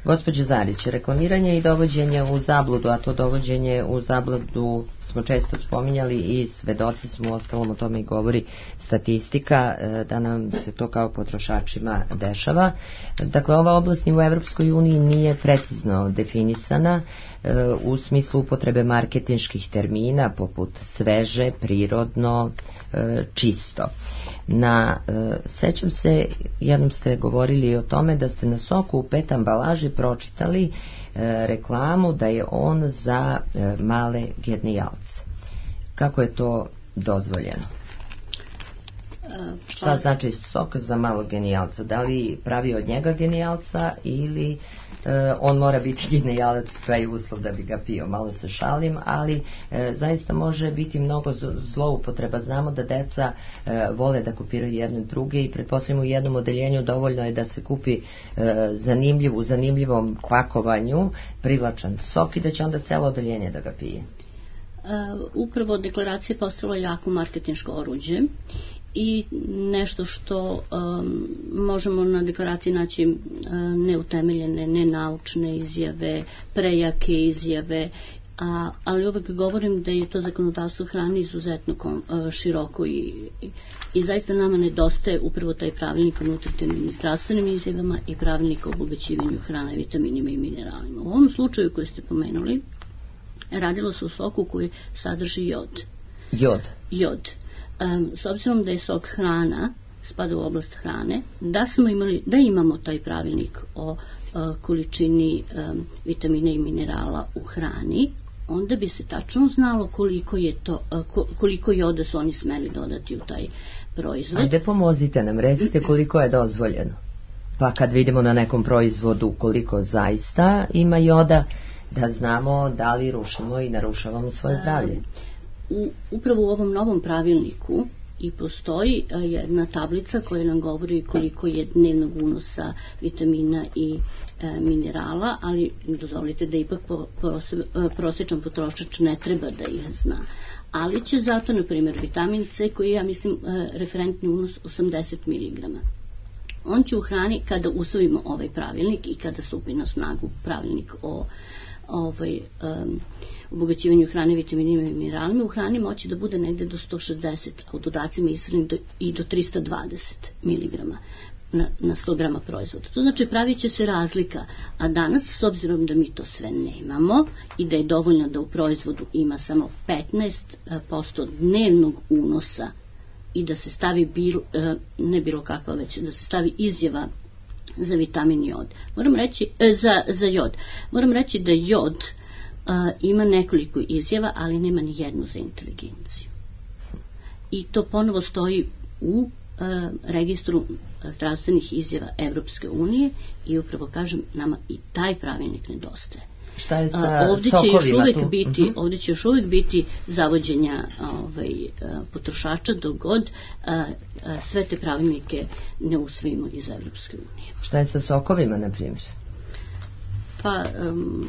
Gospođo Zarić, reklamiranje i dovođenje u zabludu, a to dovođenje u zabludu smo često spominjali i svedoci smo, ostalom o tome i govori statistika, da nam se to kao potrošačima dešava. Dakle, ova oblast u Evropskoj uniji nije precizno definisana u smislu upotrebe marketinških termina poput sveže, prirodno, čisto. Na, e, sećam se, jednom ste govorili o tome da ste na soku u pet ambalaži pročitali e, reklamu da je on za e, male genijalce. Kako je to dozvoljeno? Pa... Šta znači sok za malog genijalca? Da li pravi od njega genijalca ili e, on mora biti genijalac, pa je uslov da bi ga pio? Malo se šalim, ali e, zaista može biti mnogo zloupotreba. Znamo da deca e, vole da kopiraju jedne druge i pretpostavljamo u jednom odeljenju dovoljno je da se kupi e, zanimljiv, u zanimljivom pakovanju privlačan sok i da će onda celo odeljenje da ga pije. Uh, upravo deklaracija je postala jako marketinško oruđe i nešto što um, možemo na deklaraciji naći uh, neutemeljene, nenaučne izjave, prejake izjave, a, ali uvek govorim da je to zakonodavstvo hrane izuzetno kom, uh, široko i, i, i zaista nama nedostaje upravo taj pravilnik o nutritivnim i zdravstvenim izjavama i pravilnik o obogaćivanju hrane, vitaminima i mineralima. U ovom slučaju koji ste pomenuli, radilo se u soku koji sadrži jod. Jod? Jod. Um, s obzirom da je sok hrana, spada u oblast hrane, da smo imali, da imamo taj pravilnik o uh, količini um, vitamina i minerala u hrani, onda bi se tačno znalo koliko je to, koliko joda su oni smeli dodati u taj proizvod. Ajde pomozite nam, recite koliko je dozvoljeno. Pa kad vidimo na nekom proizvodu koliko zaista ima joda, da znamo da li rušimo i narušavamo svoje zdravlje. U, upravo u ovom novom pravilniku i postoji jedna tablica koja nam govori koliko je dnevnog unosa vitamina i e, minerala, ali dozvolite da ipak po, po, prosječan potrošač ne treba da ih zna. Ali će zato, na primjer, vitamin C koji je, ja mislim, e, referentni unos osamdeset miligrama. On će u hrani, kada usvojimo ovaj pravilnik i kada stupi na snagu pravilnik o ovaj, um, obogaćivanju hrane vitaminima i mineralima, u hrani moći da bude negde do sto šezdeset, a u dodacima ishrani do, i do trista dvadeset miligrama na, na sto grama proizvoda. To znači pravit će se razlika, a danas, s obzirom da mi to sve nemamo i da je dovoljno da u proizvodu ima samo petnaest posto dnevnog unosa i da se stavi bilo, ne bilo kakva već, da se stavi izjava za vitamin jod. Moram reći, za, za jod. Moram reći da jod a, ima nekoliko izjava, ali nema ni jednu za inteligenciju. I to ponovo stoji u a, registru zdravstvenih izjava Evropske unije i upravo kažem, nama i taj pravilnik nedostaje. Šta je sa ovdje će sokovima još uvijek tu? biti, uh-huh. ovdje će još uvijek biti zavođenja ovaj, potrošača dok god a, a, sve te pravilnike ne usvojimo iz Evropske unije. Šta je sa sokovima, na primjer? Pa um,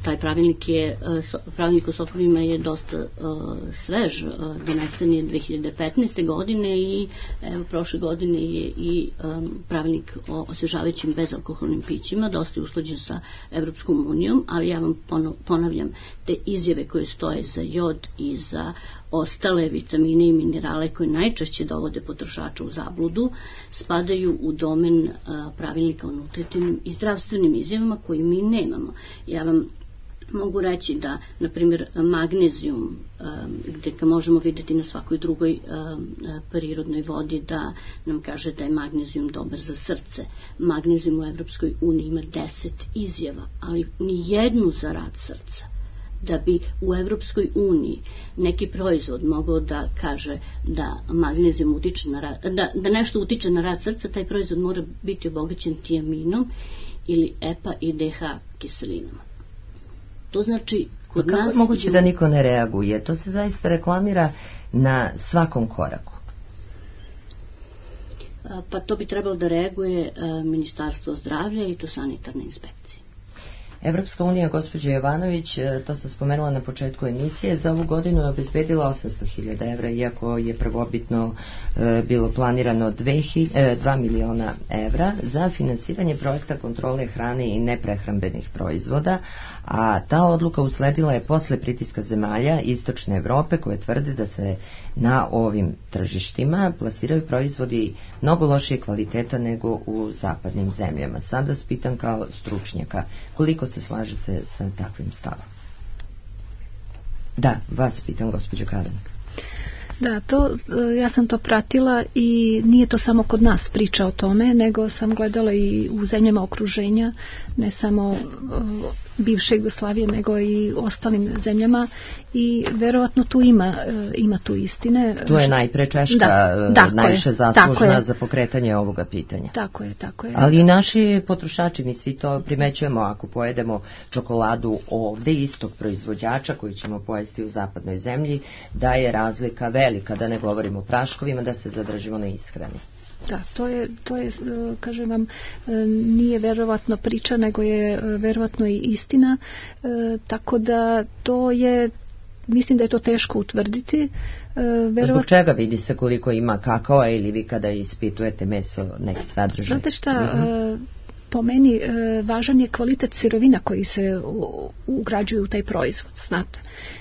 taj pravilnik je uh, pravilnik o sokovima je dosta uh, svež, uh, donesen je dve hiljade petnaeste. godine i evo, prošle godine je i um, pravilnik o osvežavajućim bezalkoholnim pićima dosta je usklađen sa Evropskom unijom, ali ja vam ponavljam, te izjave koje stoje za jod i za ostale vitamine i minerale koje najčešće dovode potrošača u zabludu spadaju u domen uh, pravilnika o nutritivnim i zdravstvenim izjavama koji mi nemamo. Ja vam mogu reći da, na primjer, magnezijum, um, gdje ga možemo vidjeti na svakoj drugoj um, prirodnoj vodi, da nam kaže da je magnezijum dobar za srce. Magnezijum u Evropskoj uniji ima deset izjava, ali ni jednu za rad srca. Da bi u Evropskoj uniji neki proizvod mogao da kaže da magnezijum utiče na rad, da, da nešto utiče na rad srca, taj proizvod mora biti obogaćen tiaminom ili E P A i D H kiselinama. To znači kod kako nas... je moguće da niko ne reaguje? To se zaista reklamira na svakom koraku. Pa to bi trebalo da reaguje Ministarstvo zdravlja i to sanitarne inspekcije. Evropska unija, gospođa Jovanović, to sam spomenula na početku emisije, za ovu godinu je obezbedila osamsto hiljada evra, iako je prvobitno e, bilo planirano dva miliona evra za finansiranje projekta kontrole hrane i neprehrambenih proizvoda, a ta odluka usledila je posle pritiska zemalja Istočne Evrope koje tvrde da se na ovim tržištima plasiraju proizvodi mnogo lošije kvaliteta nego u zapadnim zemljama. Sad vas pitam kao stručnjaka, koliko se slažete sa takvim stavom? Da, vas pitam, gospođo Kalenik. Da, to, ja sam to pratila i nije to samo kod nas priča o tome, nego sam gledala i u zemljama okruženja, ne samo bivše Jugoslavije, nego i ostalim zemljama i verovatno tu ima, ima tu istine. Tu je najpre Češka da, najviše zaslužna za pokretanje ovoga pitanja. Tako je, tako je. Ali i naši potrošači, mi svi to primećujemo, ako pojedemo čokoladu ovde istog proizvođača koju ćemo pojesti u zapadnoj zemlji, da je razlika velika, da ne govorimo o praškovima, da se zadržimo na ishrani. Da, to je, to je, kažem vam, nije verovatno priča, nego je verovatno i istina, tako da to je, mislim da je to teško utvrditi. Verovatno... Zbog čega vidi se koliko ima kakaoa ili vi kada ispitujete meso neki sadržaj? Znate šta, uh-huh. po meni važan je kvalitet sirovina koji se ugrađuju u taj proizvod, znate.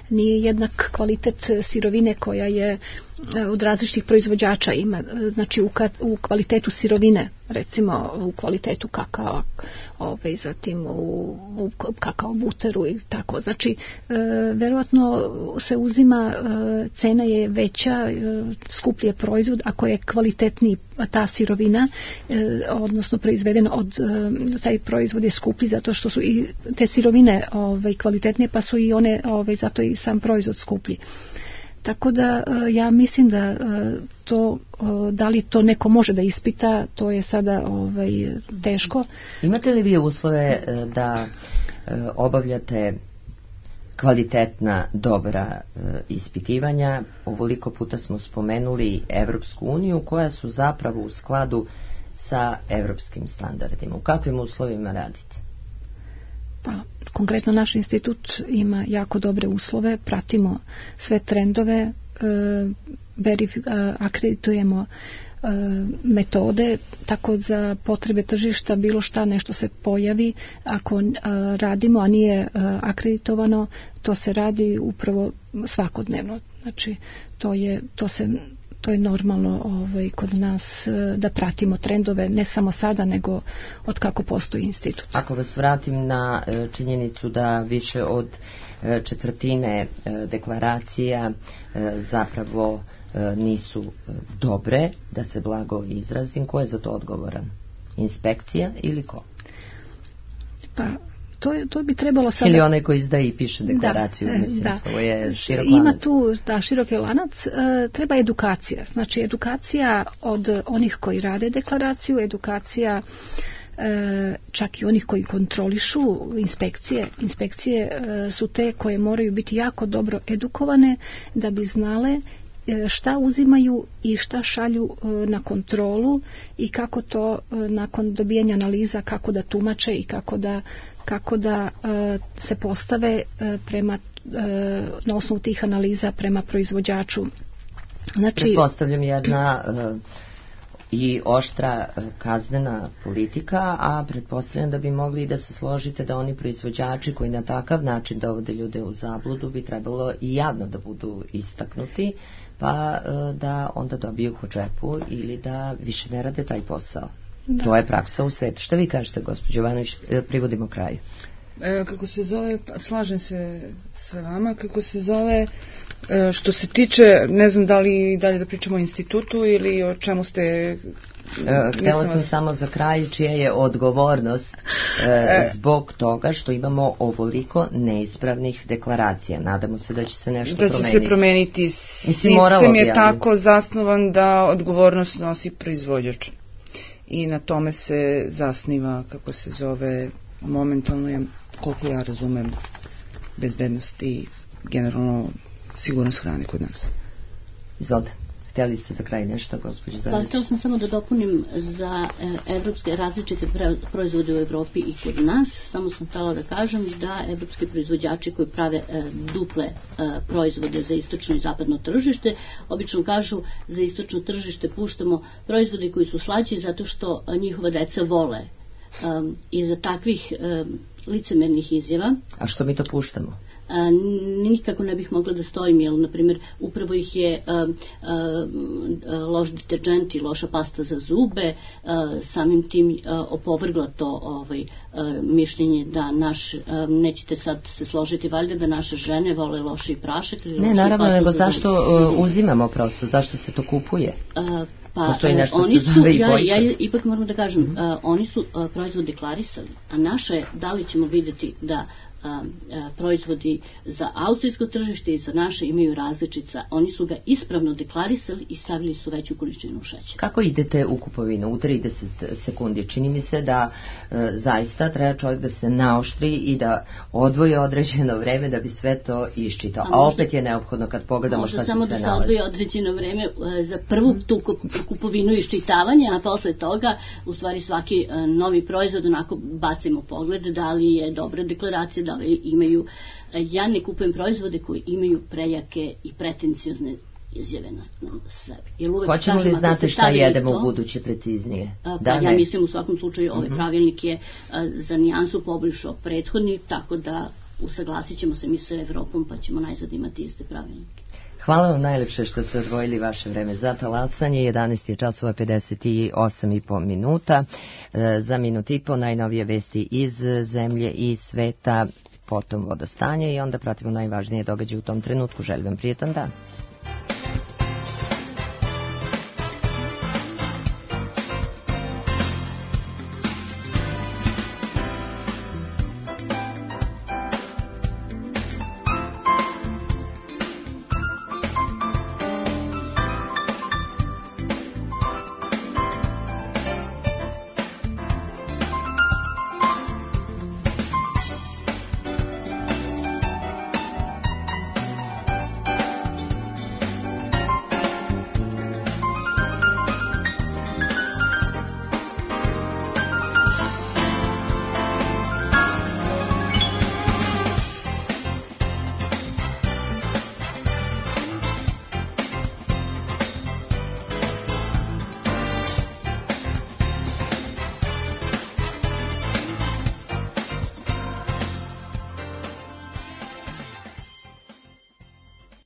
Nije jednak kvalitet sirovine koja je od različitih proizvođača ima, znači u, ka, u kvalitetu sirovine recimo u kvalitetu kakao, ovaj, zatim u, u kakao buteru i tako. Znači, e, verovatno se uzima, e, cena je veća, e, skuplji je proizvod ako je kvalitetniji ta sirovina, e, odnosno proizvedena od, e, taj proizvod je skuplji zato što su i te sirovine ovaj, kvalitetnije, pa su i one, ovaj, zato i sam proizvod skuplji. Tako da ja mislim da to, da li to neko može da ispita, to je sada ovaj, teško. Imate li vi uslove da obavljate kvalitetna, dobra ispitivanja? Ovoliko puta smo spomenuli Evropsku uniju, koja su zapravo u skladu sa evropskim standardima. U kakvim uslovima radite? Pa, konkretno naš institut ima jako dobre uslove, pratimo sve trendove, e, verif- akreditujemo e, metode, tako za potrebe tržišta bilo šta nešto se pojavi, ako e, radimo, a nije e, akreditovano, to se radi upravo svakodnevno. Znači, to je, to se to je normalno ovaj, kod nas da pratimo trendove, ne samo sada, nego od kako postoji institut. Ako vas vratim na činjenicu da više od četvrtine deklaracija zapravo nisu dobre, da se blago izrazim, ko je za to odgovoran? Inspekcija ili ko? Pa, To, je, to bi trebalo sada... Ili onaj koji izdaje i piše deklaraciju, da, mislim, da. to je širok Ima lanac. tu, da, široki lanac, e, treba edukacija. Znači, edukacija od onih koji rade deklaraciju, edukacija e, čak i onih koji kontrolišu, inspekcije. Inspekcije e, su te koje moraju biti jako dobro edukovane da bi znale šta uzimaju i šta šalju na kontrolu i kako to nakon dobijanja analiza, kako da tumače i kako da, kako da se postave prema, na osnovu tih analiza prema proizvođaču. Znači, pretpostavljam jedna i oštra kaznena politika, a pretpostavljam da bi mogli da se složite da oni proizvođači koji na takav način dovode ljude u zabludu bi trebalo i javno da budu istaknuti, pa da onda dobiju po džepu ili da više ne rade taj posao. Da. To je praksa u svetu. Šta vi kažete, gospođo Jovanović, privodimo kraju? E, kako se zove, slažem se sa vama, kako se zove, e, što se tiče, ne znam da li dalje da pričamo o institutu ili o čemu ste... E, htjela sam vas... samo za kraj, čija je odgovornost e, zbog toga što imamo ovoliko neispravnih deklaracija. Nadamo se da će se nešto da promeniti. Da će se promeniti. Sistem je tako zasnovan da odgovornost nosi proizvođač. I na tome se zasniva, kako se zove, momentalno, ja, koliko ja razumem, bezbednost i generalno sigurnost hrane kod nas. Izvolite. Htjeli ste za kraj nešto, gospođo Zanić? Pa, htjela sam samo da dopunim za e, evropske različite proizvode u Evropi i kod nas. Samo sam htjela da kažem da evropski proizvođači koji prave e, duple e, proizvode za istočno i zapadno tržište, obično kažu za istočno tržište puštamo proizvode koji su slađi zato što njihova deca vole. Um, I za takvih um, licemernih izjava. A što mi to puštamo? A, nikako ne bih mogla da stojim, jer, na primjer, upravo ih je a, a, loš deterđent i loša pasta za zube, a, samim tim a, opovrgla to ovaj, a, mišljenje da naš, a, nećete sad se složiti valjda da naše žene vole loši prašak. Ne, naravno, nego zašto uh, uzimamo prosto, zašto se to kupuje? A, Pa, postoji nešto oni se zove su, i bojkot. Ja, ja ipak moram da kažem, mm -hmm. uh, oni su uh, proizvod deklarisali, a naše je da li ćemo vidjeti da uh, uh, proizvodi za austrijsko tržište i za naše imaju različica. Oni su ga ispravno deklarisali i stavili su veću količinu šećera. Kako idete u kupovinu? U trideset sekundi. Čini mi se da uh, zaista treba čovjek da se naoštri i da odvoji određeno vreme da bi sve to iščitao. A, a možda, opet je neophodno kad pogledamo šta se sve nalazi. Možda samo da se odvoji određeno vreme uh, za prvu tu kupovinu i iščitavanja, a posle toga u stvari svaki uh, novi proizvod onako bacimo pogled da li je dobra deklaracija, da li imaju, uh, ja ne kupujem proizvode koji imaju prejake i pretenciozne izjave na, na sebi. Hoćemo li znati šta jedemo to, u buduće preciznije? Uh, pa da, ja ne. mislim u svakom slučaju ovaj uh-huh. pravilnik je uh, za nijansu poboljšao prethodni, tako da usaglasit ćemo se mi sa Evropom pa ćemo najzad imati iste pravilnike. Hvala vam najlepše što ste odvojili vaše vreme za talasanje. jedanaest je časova pedeset osam i po minuta. Za minut i po najnovije vesti iz zemlje i sveta, potom vodostanje i onda pratimo najvažnije događaje u tom trenutku. Želim vam prijetan dan.